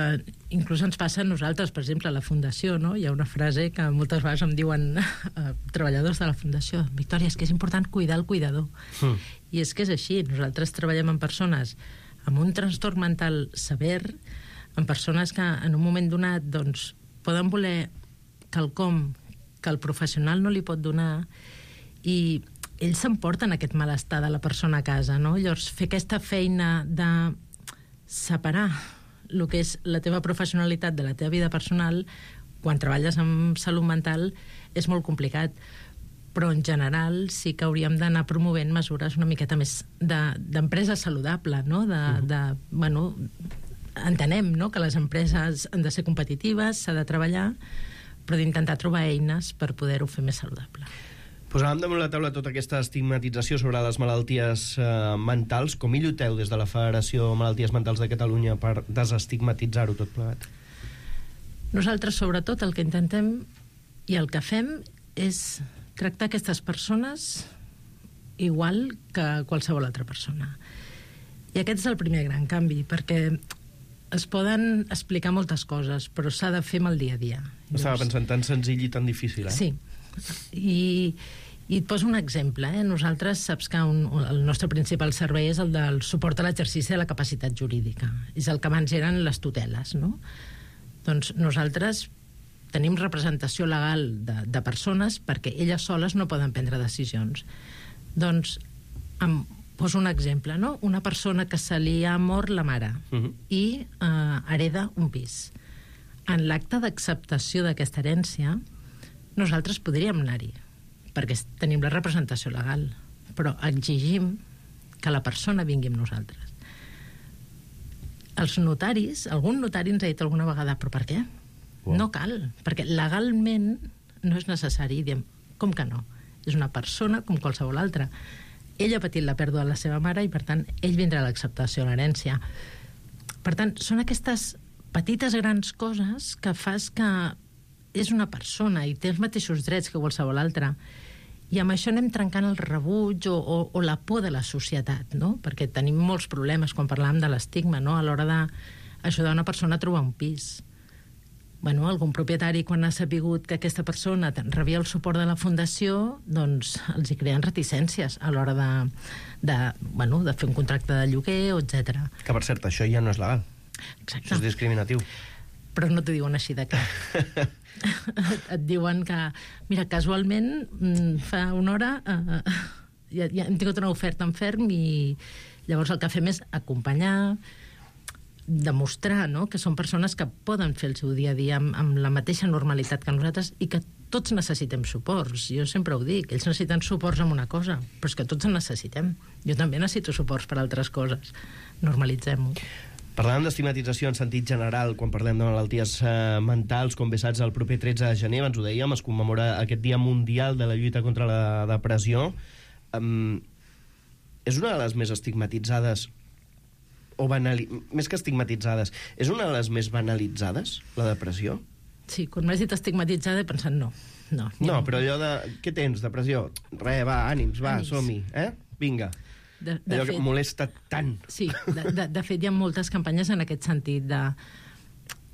inclús ens passa a nosaltres, per exemple, a la Fundació, no? Hi ha una frase que moltes vegades em diuen treballadors de la Fundació: Victòria, és que és important cuidar el cuidador. I és que és així. Nosaltres treballem amb persones amb un trastorn mental sever, amb persones que en un moment donat doncs, poden voler quelcom que el professional no li pot donar, i ells s'emporten aquest malestar de la persona a casa, no? Llavors, fer aquesta feina de separar el que és la teva professionalitat de la teva vida personal quan treballes amb salut mental és molt complicat. Però en general sí que hauríem d'anar promovent mesures una miqueta més d'empresa saludable, no? Bueno, entenem, no?, que les empreses han de ser competitives, s'ha de treballar, però d'intentar trobar eines per poder-ho fer més saludable. Posàvem damunt la taula tota aquesta estigmatització sobre les malalties mentals. Com hi lluiteu des de la Federació Malalties Mentals de Catalunya per desestigmatitzar-ho tot plegat? Nosaltres, sobretot, el que intentem i el que fem és tractar aquestes persones igual que qualsevol altra persona. I aquest és el primer gran canvi, perquè es poden explicar moltes coses, però s'ha de fer amb el dia a dia. Estava pensant tan senzill i tan difícil, Sí. I et poso un exemple. Nosaltres, saps que el nostre principal servei és el del suport a l'exercici de la capacitat jurídica. És el que abans eren les tuteles, no? Doncs nosaltres tenim representació legal de persones perquè elles soles no poden prendre decisions. Doncs poso un exemple, no? Una persona que se li ha mort la mare i hereda un pis. En l'acte d'acceptació d'aquesta herència, nosaltres podríem anar-hi, perquè tenim la representació legal, però exigim que la persona vingui amb nosaltres. Els notaris, algun notari ens ha dit alguna vegada, però per què? No cal, perquè legalment no és necessari. Diem, com que no? És una persona com qualsevol altra. Ell ha patit la pèrdua de la seva mare i, per tant, ell vindrà a l'acceptació de l'herència. Per tant, són aquestes petites grans coses que fas que és una persona i té els mateixos drets que qualsevol altra. I amb això anem trencant el rebuig o la por de la societat, no? Perquè tenim molts problemes quan parlàvem de l'estigma, no? A l'hora d'ajudar una persona a trobar un pis. Bueno, algun propietari, quan ha sapigut que aquesta persona rebia el suport de la Fundació, doncs els hi creen reticències a l'hora de fer un contracte de lloguer, etc. Que, per cert, això ja no és legal. Exacte. Això és discriminatiu. Però no t'ho diuen així de clar. Et diuen que, mira, casualment, fa una hora ja hem tingut una oferta en ferm i llavors el que fem és acompanyar, demostrar, no?, que són persones que poden fer el seu dia a dia amb la mateixa normalitat que nosaltres i que tots necessitem suports. Jo sempre ho dic, ells necessiten suports en una cosa, però és que tots en necessitem. Jo també necessito suports per altres coses. Normalitzem-ho. Parlàvem d'estigmatització en sentit general quan parlem de malalties mentals. Com bé saps, el proper 13 de gener, ens ho dèiem, es commemora aquest Dia Mundial de la Lluita contra la Depressió. És una de les més estigmatitzades més que estigmatitzades, és una de les més banalitzades, la depressió? Sí, quan m'has dit estigmatitzada he pensat no. No, però allò de... Què tens, depressió? Va, ànims, som-hi, vinga. Allò que molesta tant. Sí, de fet hi ha moltes campanyes en aquest sentit de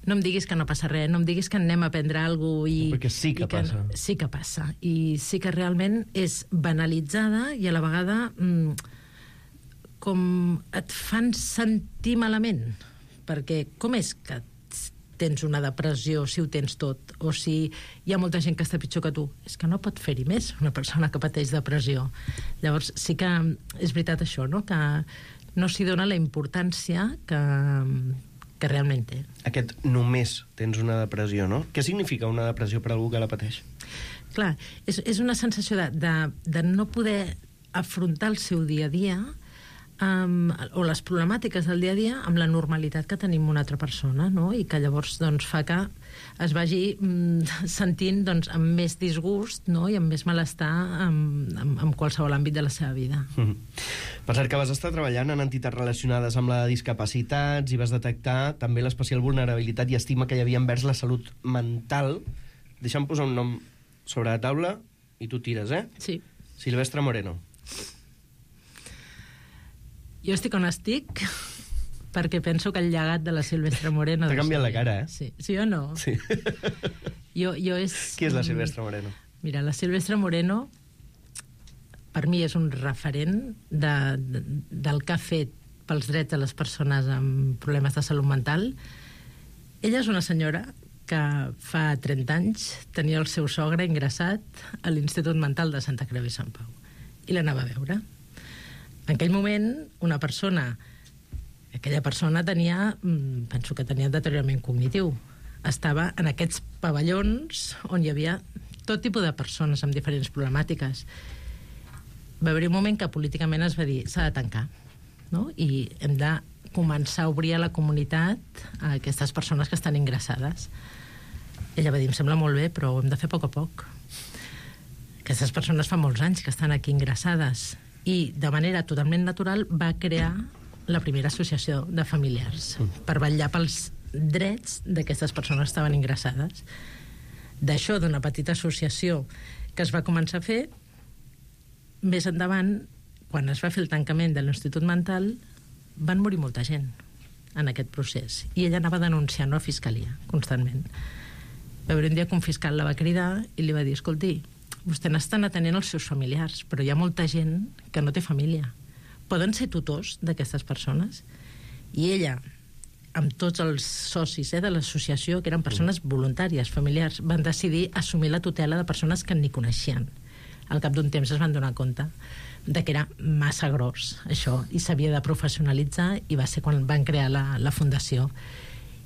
no em diguis que no passa res, no em diguis que anem a aprendre alguna cosa. Perquè sí que passa. Sí que passa. I sí que realment és banalitzada i a la vegada com et fan sentir malament. Perquè com és que tens una depressió, si ho tens tot, o si hi ha molta gent que està pitjor que tu. És que no pot fer-hi més una persona que pateix depressió. Llavors, sí que és veritat això, no? Que no s'hi dona la importància que realment té. Aquest només tens una depressió, no? Què significa una depressió per algú que la pateix? Clar, és una sensació de no poder afrontar el seu dia a dia o les problemàtiques del dia a dia amb la normalitat que tenim una altra persona, no? I que llavors doncs, fa que es vagi sentint doncs, amb més disgust, no? I amb més malestar en qualsevol àmbit de la seva vida. Per cert, que vas estar treballant en entitats relacionades amb la discapacitats i vas detectar també l'especial vulnerabilitat i estima que hi havia envers la salut mental. Deixa'm posar un nom sobre la taula i tu tires, Sí. Silvestre Moreno. Jo estic on estic perquè penso que el llegat de la Silvestre Moreno... T'ha canviat la cara, Sí o no? Sí. Jo és... Qui és la Silvestre Moreno? Mira, la Silvestre Moreno per mi és un referent del que ha fet pels drets de les persones amb problemes de salut mental. Ella és una senyora que fa 30 anys tenia el seu sogre ingressat a l'Institut Mental de Santa Creu i Sant Pau i l'anava a veure. En aquell moment, aquella persona tenia, penso que tenia deteriorament cognitiu. Estava en aquests pavellons on hi havia tot tipus de persones amb diferents problemàtiques. Va haver un moment que políticament es va dir s'ha de tancar, no? I hem de començar a obrir a la comunitat a aquestes persones que estan ingressades. Ella va dir, em sembla molt bé, però ho hem de fer a poc. Aquestes persones fa molts anys que estan aquí ingressades i de manera totalment natural va crear la primera associació de familiars per vetllar pels drets d'aquestes persones que estaven ingressades. D'això, d'una petita associació que es va començar a fer, més endavant, quan es va fer el tancament de l'Institut Mental, van morir molta gent en aquest procés. I ella anava denunciant a Fiscalia, constantment. Va haver un dia que un fiscal la va cridar i li va dir, escolti, vostè n'estan atenent els seus familiars, però hi ha molta gent que no té família. Poden ser tutors d'aquestes persones? I ella, amb tots els socis de l'associació, que eren persones voluntàries, familiars, van decidir assumir la tutela de persones que ni coneixien. Al cap d'un temps es van donar compte de que era massa gros, això, i s'havia de professionalitzar, i va ser quan van crear la fundació.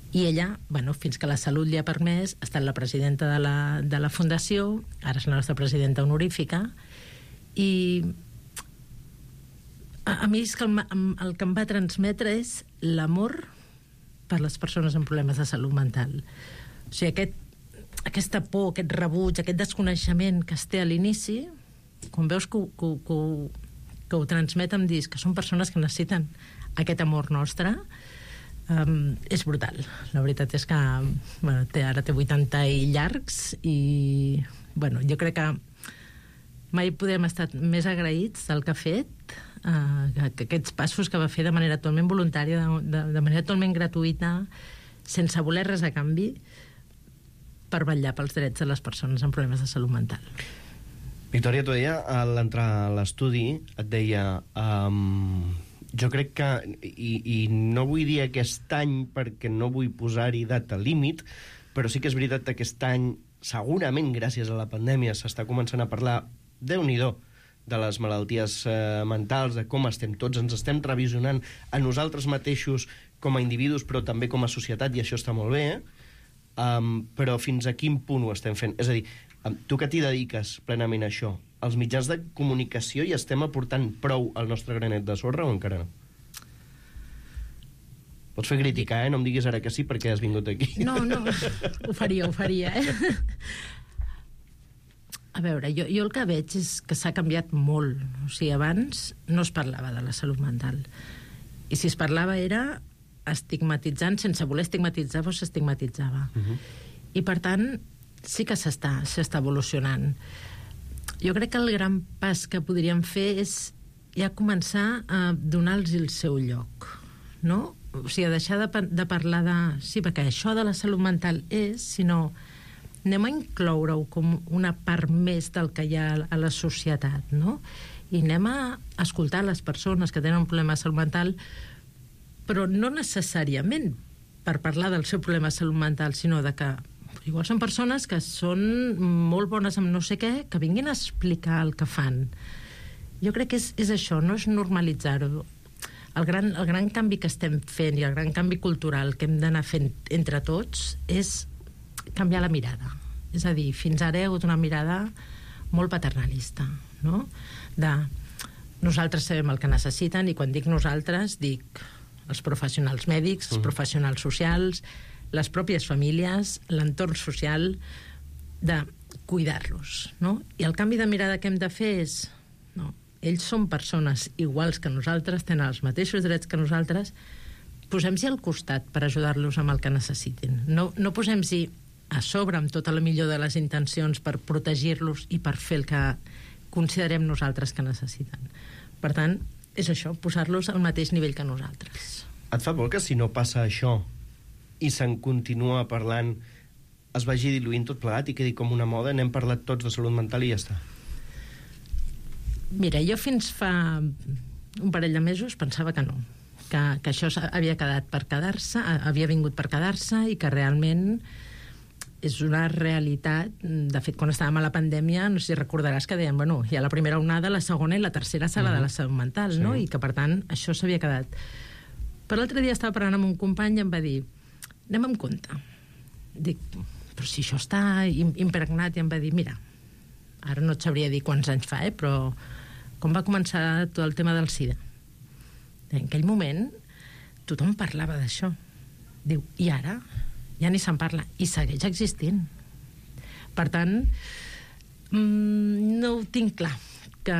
I ella, fins que la salut li ha permès, ha estat la presidenta de la fundació, ara és la nostra presidenta honorífica, i a mi és que el que em va transmetre és l'amor per les persones amb problemes de salut mental. O sigui, aquesta por, aquest rebuig, aquest desconeixement que es té a l'inici, quan veus que ho transmet em dius que són persones que necessiten aquest amor nostre, és brutal. La veritat és que ara té 80 i llargs i jo crec que mai podem estar més agraïts del que ha fet, que aquests passos que va fer de manera totalment voluntària, de manera totalment gratuïta, sense voler res a canvi, per vetllar pels drets de les persones amb problemes de salut mental. Victòria, tu deia, a l'entrar a l'estudi, et deia... jo crec que, i no vull dir aquest any perquè no vull posar-hi data límit, però sí que és veritat que aquest any, segurament gràcies a la pandèmia, s'està començant a parlar, Déu-n'hi-do, de les malalties mentals, de com estem tots, ens estem revisionant a nosaltres mateixos com a individus, però també com a societat, i això està molt bé, però fins a quin punt ho estem fent? És a dir, tu que t'hi dediques plenament a això, els mitjans de comunicació hi estem aportant prou al nostre granet de sorra o encara no? Pots fer crítica, no em diguis ara que sí perquè has vingut aquí. No, ho faria, A veure, jo el que veig és que s'ha canviat molt. O sigui, abans no es parlava de la salut mental. I si es parlava era estigmatitzant, sense voler estigmatitzar, però s'estigmatitzava. I per tant, sí que s'està evolucionant. Jo crec que el gran pas que podríem fer és ja començar a donar-los el seu lloc, no? O sigui, deixar de parlar de... Sí, perquè això de la salut mental és, sinó anem a incloure-ho com una part més del que hi ha a la societat, no? I anem a escoltar les persones que tenen un problema de salut mental, però no necessàriament per parlar del seu problema de salut mental, sinó de que igual són persones que són molt bones amb no sé què, que vinguin a explicar el que fan. Jo crec que és això, no és normalitzar-ho. El gran canvi que estem fent i el gran canvi cultural que hem d'anar fent entre tots és canviar la mirada. És a dir, fins ara hi ha hagut una mirada molt paternalista, no? De nosaltres sabem el que necessiten, i quan dic nosaltres dic els professionals mèdics, els professionals socials, les pròpies famílies, l'entorn social, de cuidar-los, no? I el canvi de mirada que hem de fer és, no, ells són persones iguals que nosaltres, tenen els mateixos drets que nosaltres, posem-s'hi al costat per ajudar-los amb el que necessitin. No posem-s'hi a sobre amb tota la millor de les intencions per protegir-los i per fer el que considerem nosaltres que necessiten. Per tant, és això, posar-los al mateix nivell que nosaltres. Et fa por que si no passa això i se'n continua parlant es vagi diluint tot plegat i quedi com una moda, n'hem parlat tots de salut mental i ja està? Mira, jo fins fa un parell de mesos pensava que no, que això havia quedat per quedar-se, havia vingut per quedar-se i que realment és una realitat. De fet, quan estàvem a la pandèmia, no sé si recordaràs que deien, bueno, hi ha la primera onada, la segona i la tercera serà de la salut mental, no? I que, per tant, això s'havia quedat. Però l'altre dia estava parlant amb un company i em va dir, anem amb compte. Dic, però si això està impregnat, i em va dir, mira, ara no et sabria dir quants anys fa, però com va començar tot el tema del SIDA? En aquell moment tothom parlava d'això. Diu, i ara? Ja ni se'n parla, i segueix existint. Per tant, no ho tinc clar, que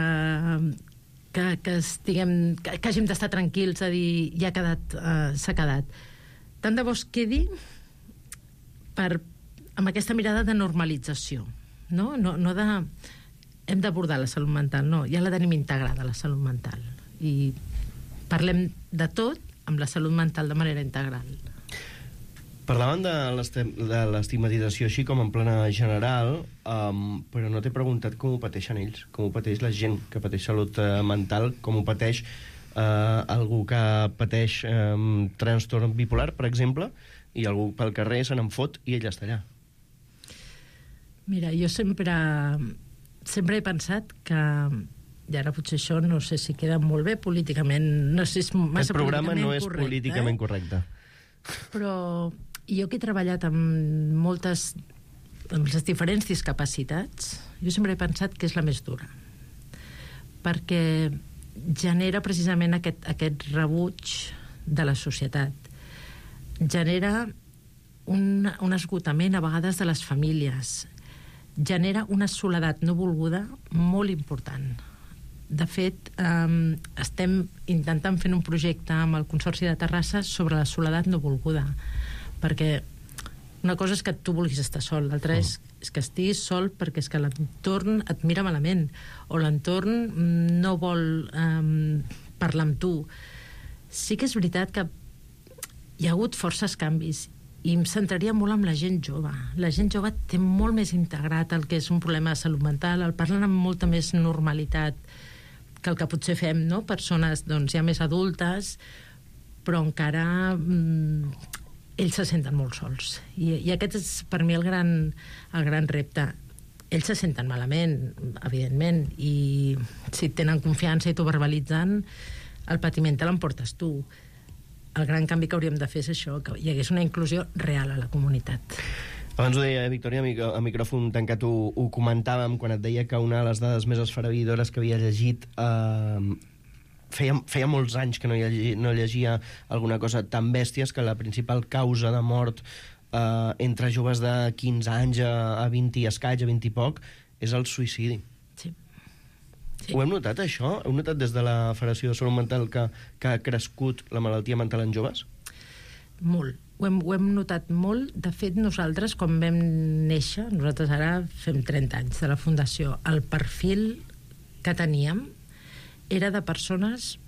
hàgim d'estar tranquils a dir, ja s'ha quedat. Tant de bo es quedi amb aquesta mirada de normalització, no de hem d'abordar la salut mental, no, ja la tenim integrada, la salut mental, i parlem de tot amb la salut mental de manera integral. Parlaven de l'estigmatització així com en plana general, però no t'he preguntat com ho pateixen ells, com ho pateix la gent que pateix salut mental, com ho pateix algú que pateix trastorn bipolar, per exemple, i algú pel carrer se n'en fot i ell està allà. Mira, jo sempre he pensat que, i ara potser això no sé si queda molt bé políticament, no sé si és massa políticament correcte. Aquest programa no és políticament correcte. Però jo que he treballat amb les diferents discapacitats, jo sempre he pensat que és la més dura, perquè genera precisament aquest rebuig de la societat, genera un esgotament a vegades de les famílies, genera una soledat no volguda molt important. De fet, estem intentant fer un projecte amb el Consorci de Terrassa sobre la soledat no volguda, perquè una cosa és que tu vulguis estar sol, l'altra és que estiguis sol perquè és que l'entorn et mira malament, o l'entorn no vol parlar amb tu. Sí que és veritat que hi ha hagut forces canvis, i em centraria molt amb la gent jove. La gent jove té molt més integrat el que és un problema de salut mental, el parlen amb molta més normalitat que el que potser fem, no? Persones ja més adultes, però encara ells se senten molt sols. I aquest és per mi el gran repte. Ells se senten malament, evidentment, i si tenen confiança i t'ho verbalitzen, el patiment te l'emportes tu. El gran canvi que hauríem de fer és això, que hi hagués una inclusió real a la comunitat. Abans ho deia Victòria, a micròfon tancat ho comentàvem quan et deia que una de les dades més esfereïdores que havia llegit feia molts anys que no llegia alguna cosa tan bèsties, que la principal causa de mort entre joves de 15 anys a 20 i escaig, a 20 i poc, és el suïcidi. Sí. Ho hem notat, això? Heu notat des de la Federació de Salut Mental que ha crescut la malaltia mental en joves? Molt. Ho hem notat molt. De fet, nosaltres, quan vam néixer, nosaltres ara fem 30 anys de la Fundació, el perfil que teníem era de persones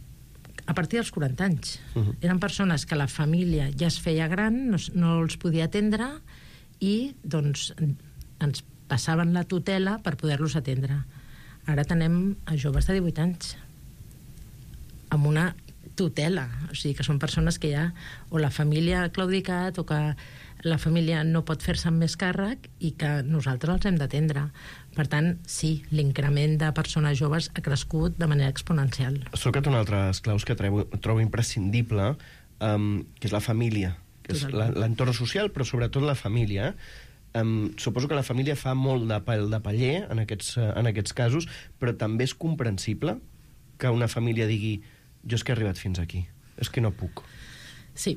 a partir dels 40 anys. Eren persones que la família ja es feia gran, no els podia atendre, i doncs ens passaven la tutela per poder-los atendre. Ara tenem a joves de 18 anys amb una tutela, o sigui que són persones que ja o la família ha claudicat o que la família no pot fer-se amb més càrrec i que nosaltres els hem d'atendre. Per tant, sí, l'increment de persones joves ha crescut de manera exponencial. Has tocat un altre dels claus que trobo imprescindible, que és la família, que és l'entorn social, però sobretot la família. Suposo que la família fa molt de paller en aquests casos, però també és comprensible que una família digui jo és que he arribat fins aquí, és que no puc. Sí.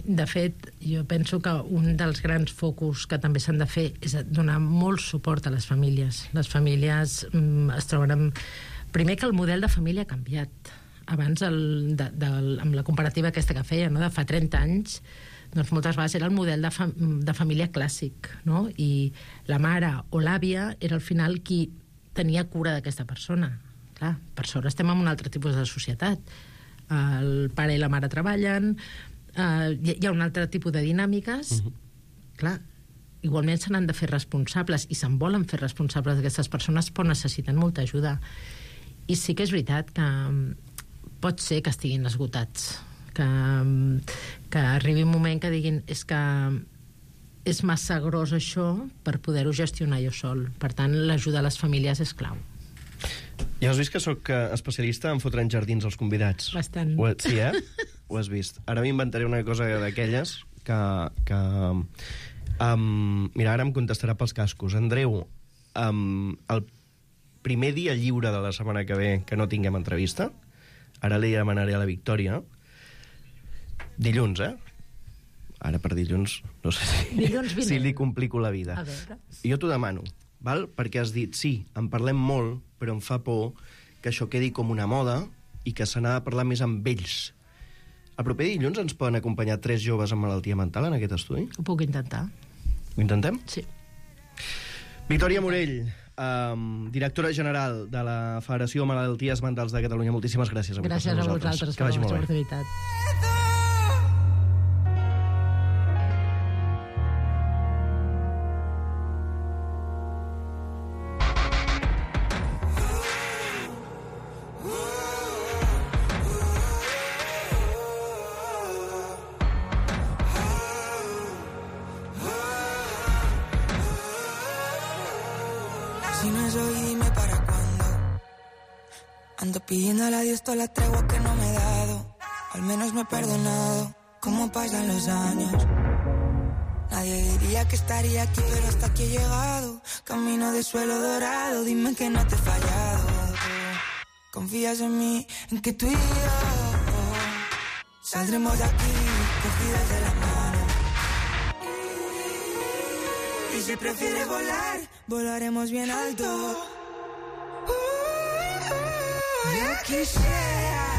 De fet, jo penso que un dels grans focus que també s'han de fer és donar molt suport a les famílies. Les famílies es troben amb... Primer que el model de família ha canviat. Abans, amb la comparativa aquesta que feia, no? De fa 30 anys, doncs moltes vegades era el model de família clàssic, no? I la mare o l'àvia era al final qui tenia cura d'aquesta persona. Clar, per sort estem en un altre tipus de societat. El pare i la mare treballen, hi ha un altre tipus de dinàmiques. Clar, igualment se n'han de fer responsables i se'n volen fer responsables d'aquestes persones, però necessiten molta ajuda. I sí que és veritat que pot ser que estiguin esgotats, que arribi un moment que diguin és que és massa gros això per poder-ho gestionar jo sol. Per tant, l'ajuda a les famílies és clau. Ja has vist que sóc especialista en fotre en jardins als convidats? Bastant. Sí, Ho has vist. Ara m'inventaré una cosa d'aquelles que mira, ara em contestarà pels cascos. Andreu, el primer dia lliure de la setmana que ve que no tinguem entrevista, ara li demanaré a la Victòria, dilluns, Ara per dilluns, no sé si li complico la vida. A veure. Jo t'ho demano, val? Perquè has dit, sí, en parlem molt, però em fa por que això quedi com una moda i que se n'ha de parlar més amb ells. El proper dilluns ens poden acompanyar 3 joves amb malaltia mental en aquest estudi? Ho puc intentar. Ho intentem? Sí. Victòria Morell, directora general de la Federació de Malalties Mentals de Catalunya. Moltíssimes gràcies. Gràcies a vosaltres per la vostra oportunitat. Si no es hoy, dime para cuándo. Ando pidiéndole a Dios todas las treguas que no me he dado. Al menos me he perdonado. Cómo pasan los años. Nadie diría que estaría aquí, pero hasta aquí he llegado. Camino de suelo dorado, dime que no te he fallado. Confías en mí, en que tú y yo saldremos de aquí, cogidas de la mano. Y si prefieres volar, volaremos bien alto. Yo quisiera